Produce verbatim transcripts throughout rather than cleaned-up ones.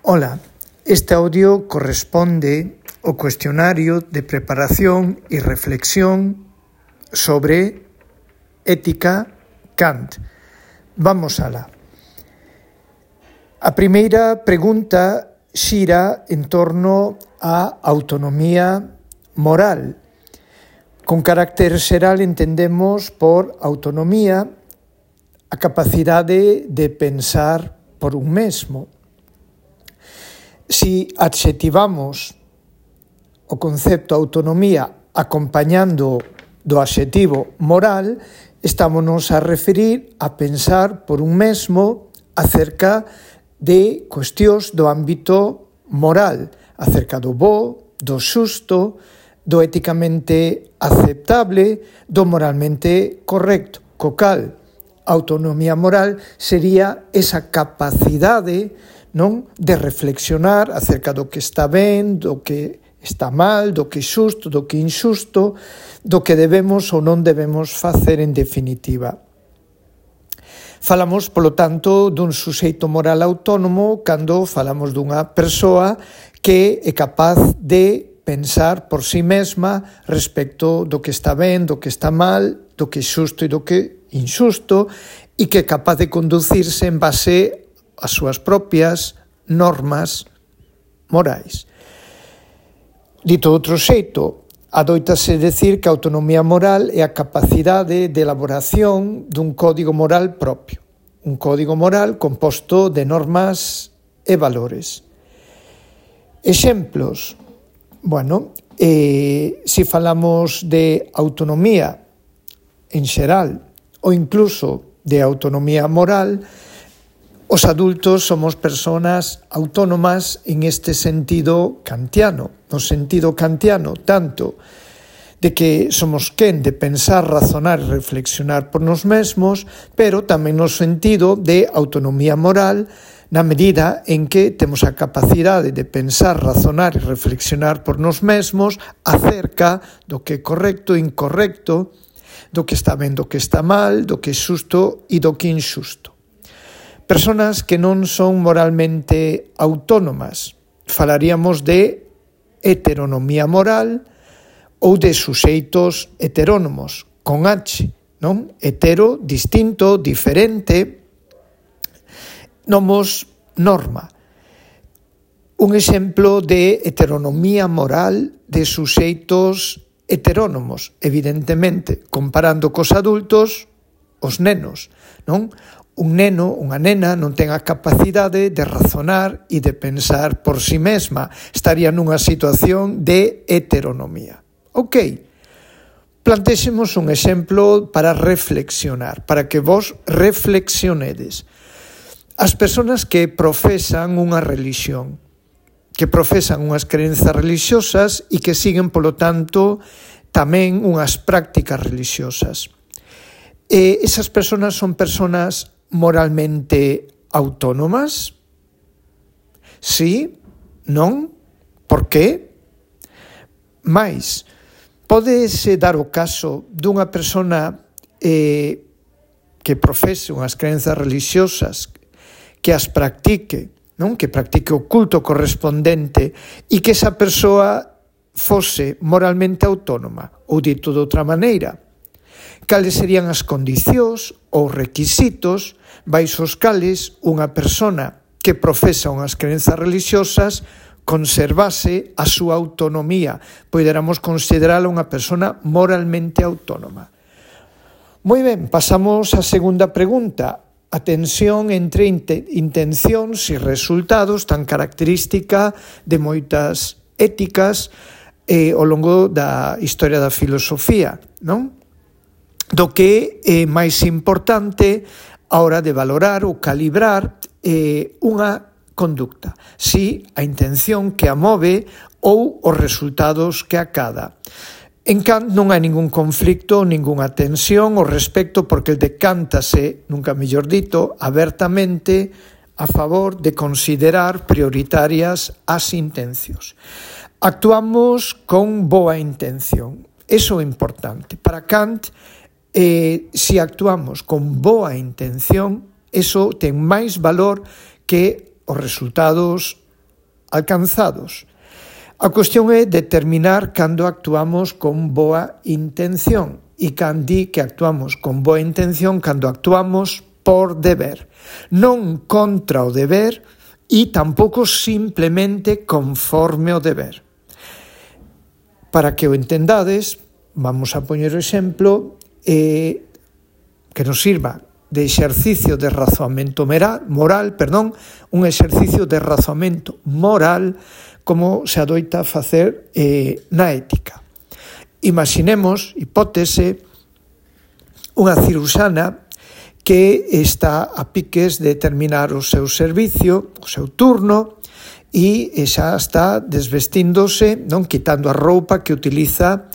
Ola, este audio corresponde ao cuestionario de preparación e reflexión sobre ética Kant. Vamos alá. A primeira pregunta xira en torno á autonomía moral. Con carácter xeral entendemos por autonomía a capacidade de pensar por un mesmo. Si adxetivamos o concepto autonomía acompañando do adxetivo moral, estámonos a referir a pensar por un mesmo acerca de cuestións do ámbito moral, acerca do bo, do xusto, do éticamente aceptable, do moralmente correcto. Co cal, a autonomía moral sería esa capacidade, non, de reflexionar acerca do que está ben, do que está mal, do que é xusto, do que é inxusto, do que debemos ou non debemos facer en definitiva. Falamos, polo tanto, dun suxeito moral autónomo cando falamos dunha persoa que é capaz de pensar por si mesma respecto do que está ben, do que está mal, do que é xusto e do que é inxusto, e que é capaz de conducirse en base as súas propias normas morais. Dito outro xeito, adoitase decir que a autonomía moral é a capacidade de elaboración dun código moral propio, un código moral composto de normas e valores. Exemplos, bueno, eh, se falamos de autonomía en xeral ou incluso de autonomía moral, os adultos somos persoas autónomas en este sentido kantiano, no sentido kantiano, tanto de que somos quen de pensar, razonar e reflexionar por nos mesmos, pero tamén no sentido de autonomía moral, na medida en que temos a capacidade de pensar, razonar e reflexionar por nos mesmos acerca do que é correcto e incorrecto, do que está ben, do que está mal, do que é xusto e do que é inxusto. Personas que non son moralmente autónomas. Falaríamos de heteronomía moral ou de suxeitos heterónomos, con H, non? Hetero, distinto, diferente, nomos norma. Un exemplo de heteronomía moral de suxeitos heterónomos, evidentemente, comparando cos adultos, os nenos, non? Un neno, unha nena, non ten a capacidade de razonar e de pensar por si mesma. Estaría nunha situación de heteronomía. Ok, plantexemos un exemplo para reflexionar, para que vos reflexionedes. As persoas que profesan unha religión, que profesan unhas crenzas religiosas e que siguen, polo tanto, tamén unhas prácticas religiosas. E esas persoas son persoas moralmente autónomas? Sí? Non? Por qué? Mais, pódese dar o caso dunha persona eh, que profese unhas crenzas religiosas, que as practique, non? Que practique o culto correspondente e que esa persoa fose moralmente autónoma, ou dito de outra maneira, cales serían as condicións ou requisitos baixo os cales unha persona que profesa unhas crenzas religiosas conservase a súa autonomía, poderamos considerala unha persona moralmente autónoma. Moi ben, pasamos á segunda pregunta. A tensión entre intencións e resultados tan característica de moitas éticas eh, ao longo da historia da filosofía, non? Do que é máis importante a hora de valorar ou calibrar eh, unha conducta, si a intención que a move ou os resultados que acada. En Kant non hai ningún conflicto, ningunha tensión ao respecto, porque el decántase, nunca mellor dito, abertamente a favor de considerar prioritarias as intencións. Actuamos con boa intención. Eso é importante. Para Kant, eh, se actuamos con boa intención, eso ten máis valor que os resultados alcanzados. A cuestión é determinar cando actuamos con boa intención e cando di que actuamos con boa intención cando actuamos por deber, non contra o deber e tampouco simplemente conforme o deber. Para que o entendades, vamos a poñer o exemplo eh, que nos sirva de exercicio de razoamento moral, moral, perdón, un exercicio de razoamento moral como se adoita facer eh, na ética. Imaginemos, hipótese, unha cirurxana que está a piques de terminar o seu servicio, o seu turno, e xa está desvestíndose, non, quitando a roupa que utiliza,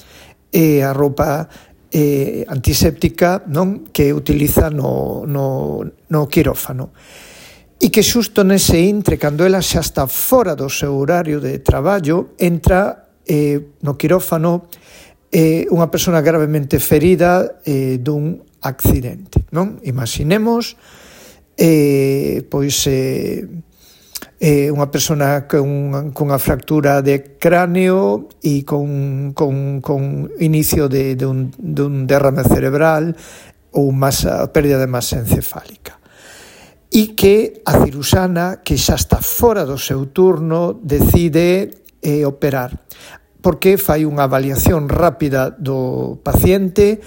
eh, a roupa eh, antiséptica, non, que utiliza no, no, no quirófano. E que xusto nese intre, cando ela xa está fora do seu horario de traballo, entra eh, no quirófano eh, unha persona gravemente ferida eh, dun accidente, non? Imaginemos eh, pois eh, eh, unha persona con, con unha fractura de cráneo e con, con, con inicio de, de, un, de un derrame cerebral ou masa, pérdida de masa encefálica. E que a cirurxana, que xa está fora do seu turno, decide eh, operar, porque fai unha avaliación rápida do paciente,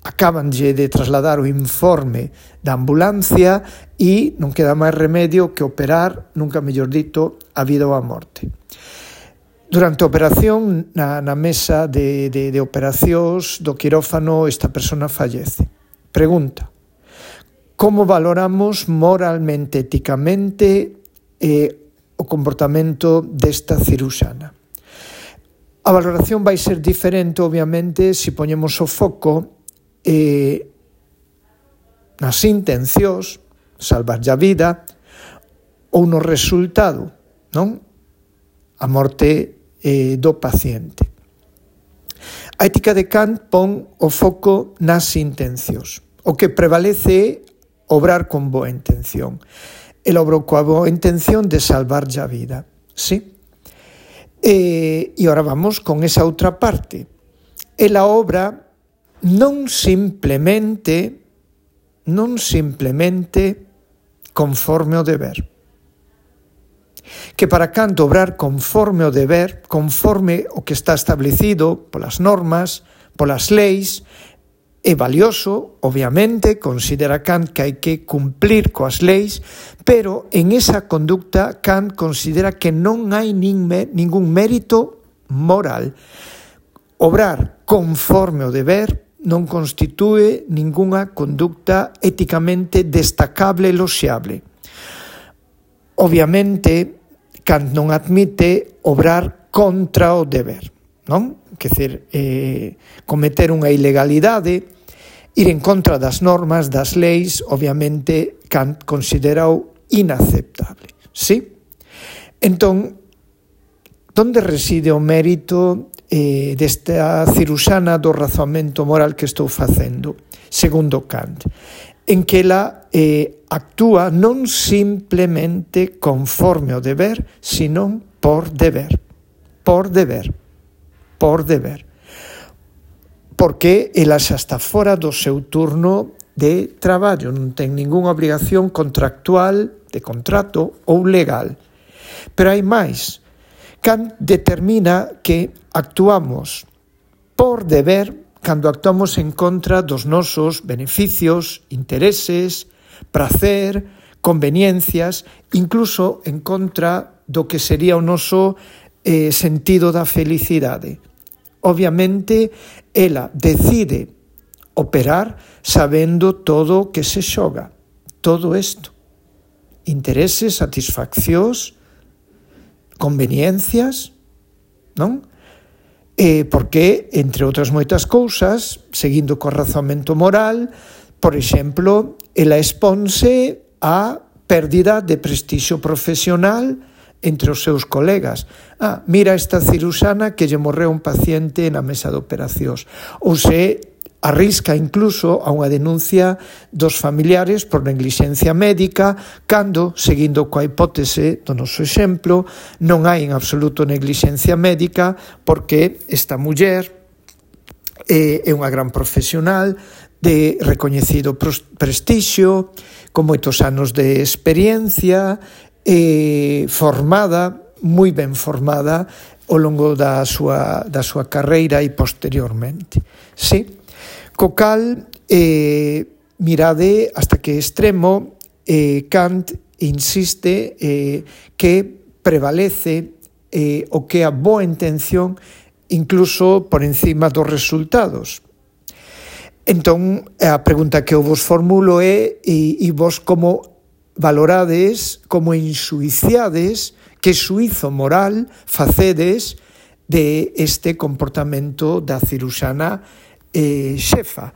acabanlle de trasladar o informe da ambulancia e non queda máis remedio que operar, nunca mellor dito, a vida ou a morte. Durante a operación, na, na mesa de, de, de operacións do quirófano, esta persona fallece. Pregunta: como valoramos moralmente, éticamente, eh, o comportamento desta cirurxana? A valoración vai ser diferente, obviamente, se poñemos o foco eh, nas intencións, salvarlle a vida, ou no resultado, non? A morte eh, do paciente. A ética de Kant pon o foco nas intencións. O que prevalece é obrar con boa intención. El obrou coa boa intención de salvarlle a vida, sí? E, e ora vamos con esa outra parte. Ela obra non simplemente, non simplemente conforme o deber. Que para Kant obrar conforme o deber, conforme o que está establecido polas normas, polas leis, é valioso, obviamente, considera Kant que hai que cumplir coas leis, pero en esa conducta Kant considera que non hai nin me, ningún mérito moral. Obrar conforme o deber non constitúe ningunha conducta éticamente destacable e loxeable. Obviamente, Kant non admite obrar contra o deber, non? Quer dizer, eh, cometer unha ilegalidade, ir en contra das normas, das leis, obviamente Kant considerou inaceptable, sí? Entón, onde reside o mérito eh, desta cirurxana do razoamento moral que estou facendo, segundo Kant? En que ela eh, actúa non simplemente conforme ao deber, sino por deber, por deber. por deber, porque ela xa está fora do seu turno de traballo, non ten ningunha obrigación contractual, de contrato ou legal. Pero hai máis. Kant determina que actuamos por deber cando actuamos en contra dos nosos beneficios, intereses, prazer, conveniencias, incluso en contra do que sería o noso eh, sentido da felicidade. Obviamente, ela decide operar sabendo todo o que se xoga, todo isto. Intereses, satisfaccións, conveniencias, non? E porque, entre outras moitas cousas, seguindo co razoamento moral, por exemplo, ela exponse a pérdida de prestixio profesional entre os seus colegas. Ah, mira esta cirurxana que lle morreu un paciente na mesa de operacións. Ou se arrisca incluso a unha denuncia dos familiares por neglixencia médica, cando, seguindo coa hipótese do noso exemplo, non hai en absoluto neglixencia médica, porque esta muller é unha gran profesional de recoñecido prestixio, con moitos anos de experiencia, eh, formada, moi ben formada ao longo da súa, da súa carreira e posteriormente. Sí, co cal, eh, mirade hasta que extremo eh, Kant insiste eh, que prevalece eh, o que a boa intención incluso por encima dos resultados. Entón, a pregunta que eu vos formulo é e, e vos como valorades, como enxuiciades, que xuízo moral facedes de este comportamento da ciruxana eh, xefa.